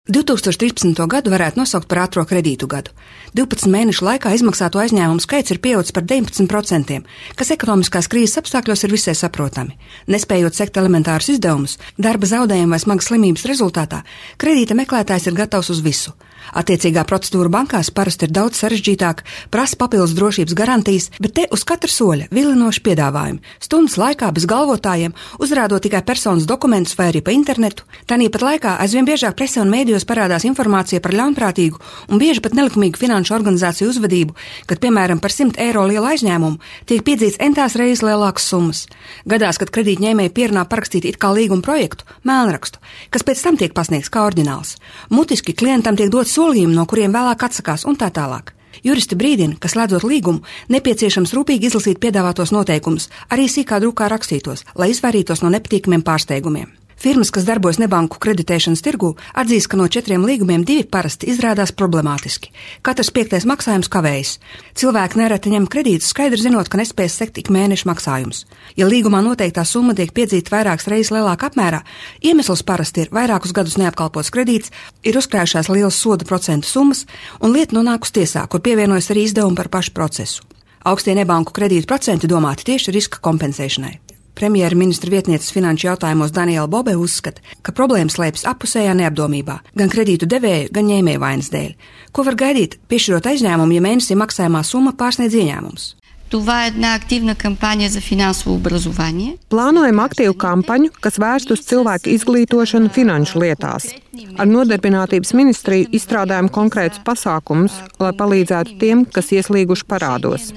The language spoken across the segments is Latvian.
2013. gadu varētu nosaukt par ātro kredītu gadu. 12 mēnešu laikā izmaksāto aizņēmumu skaits ir pieaudzis par 19%, kas ekonomiskās krīzes apstākļos ir visai saprotami. Nespējot sekt elementārus izdevumus, darba zaudējumu vai smagas slimības rezultātā, kredīta meklētājs ir gatavs uz visu. Attiecīgā procedūra bankās parasti ir daudz sarežģītāka, prasa papildus drošības garantijas, bet te uz katra soļa vilinoši piedāvājumi. Stundas laikā bez galvotājiem, uzrādot tikai personas dokumentus vai arī pa internetu. Tāpat laikā aizvien biežāk presē un mēdījos parādās informācija par ļaunprātīgu un bieži pat nelikumīgu finanšu organizāciju uzvedību, kad, piemēram, par 100 eiro lielu aizņēmumu tiek piedzīts entās reizes lielākas summas. Gadās, kad kredītņēmēji pierunā parakstīt it kā līguma projektu, mēlnrakstu, kas pēc tam tiek pasniegts kā oriģināls. Mutiski klientam tiek dots solījumi, no kuriem vēlāk atsakās un tā tālāk. Juristi brīdina, ka slēdzot līgumu, nepieciešams rūpīgi izlasīt piedāvātos noteikumus, arī sīkā drukā rakstītos, lai izvairītos no nepatīkamiem pārsteigumiem. Firmas, kas darbojas nebanku kreditēšanas tirgū, atzīst, ka no 4 līgumiem 2 parasti izrādās problemātiski. Katrs 5. maksājums kavējas. Cilvēki nereti ņem kredītus, skaidri zinot, ka nespēs sekt ik mēneša maksājumus. Ja līgumā noteiktā summa tiek piedzīta vairākas reizes lielākā apmērā, iemesls parasti ir vairākus gadus neapkalpots kredīts, ir uzkrājušās lielas soda procentu summas un lieta nonākus tiesā, kur pievienojas arī izdevumi par pašu procesu. Augstie nebanku kredītu procenti domāti tieši riska kompensēšanai. Premjera ministra vietnieces finanšu jautājumos Daniela Bobe uzskata, ka problēma slēpjas appusējā neapdomībā, gan kredītu devēju, gan ņēmēju vainas dēļ. Ko var gaidīt, piešķirot aizņēmumu, ja mēnesī maksājumā summa pārsniedz ieņēmumus? Това е една активна кампания за финансово образование. Plānojam aktīvu kampaņu, kas vērst uz cilvēku izglītošanu finanšu lietās. Ar Nodarbinātības ministriju izstrādājam konkrētus pasākumus, lai palīdzētu tiem, kas ieslīguši parādos.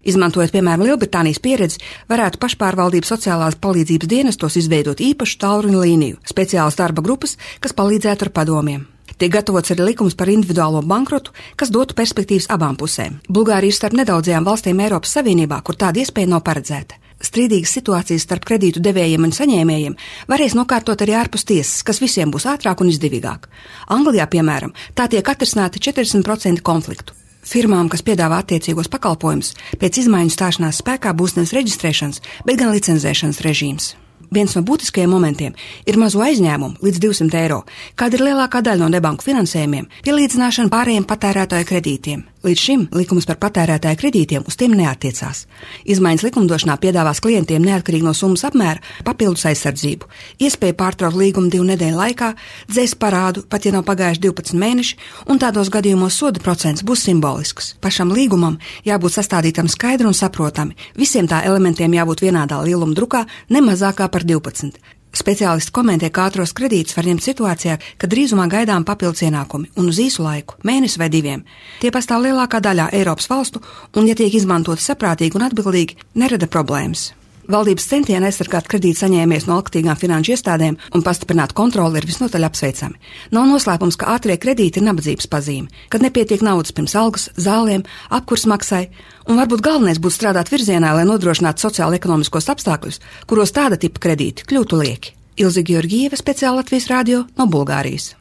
Izmantojot, piemēram, Lielbritānijas pieredzi, varētu pašpārvaldības sociālās palīdzības dienestos izveidot īpašu tālruņa līniju, speciālas darba grupas, kas palīdzētu ar padomiem. Tiek gatavots arī likums par individuālo bankrotu, kas dotu perspektīvas abām pusēm. Bulgārija ir starp nedaudzajām valstīm Eiropas Savienībā, kur tāda iespēja nav paredzēta. Strīdīgas situācijas starp kredītu devējiem un saņēmējiem varēs nokārtot arī ārpus tiesas, kas visiem būs ātrāk un izdevīgāk. Anglijā, piemēram, tā tiek atrisināta 40% konfliktu. Firmām, kas piedāvā attiecīgos pakalpojumus, pēc izmaiņu stāšanās spēkā būs nevis reģistrēšanas, bet gan licencēšanas režīms. Viens no būtiskajiem momentiem ir mazo aizņēmumu līdz 200 eiro, kāda ir lielākā daļa no nebanku finansējumiem, pielīdzināšana pārējiem patērētāju kredītiem. Līdz šim likums par patērētāju kredītiem uz tiem neattiecās. Izmaiņas likumdošanā piedāvās klientiem neatkarīgi no summas apmēra papildus aizsardzību, iespēju pārtraukt līgumu 2 nedēļu laikā, dzēst parādu, pat ja nav pagājuši 12 mēneši, un tādos gadījumos soda procents būs simbolisks. Pašam līgumam jābūt sastādītam skaidri un saprotami, visiem tā elementiem jābūt vienādā lieluma drukā, ne mazākā par 12. Speciālisti komentē, ka ātros kredītus var ņemt situācijā, kad drīzumā gaidām papildus ienākumi un uz īsu laiku, mēnesi vai 2. Tie pastāv lielākā daļā Eiropas valstu un, ja tiek izmantoti saprātīgi un atbildīgi, nerada problēmas. Valdības centieni aizsargāt kredītu saņēmējus no alkatīgām finanšu iestādēm un pastiprināt kontroli ir visnotaļ apsveicami. Nav noslēpums, ka ātrie kredīti ir nabadzības pazīme, kad nepietiek naudas pirms algas, zālēm, apkurs maksai, un varbūt galvenais būtu strādāt virzienā, lai nodrošinātu sociālo-ekonomiskos apstākļus, kuros tāda tipa kredīti kļūtu lieki. Ilze Georgieva, speciāli Latvijas radio no Bulgārijas.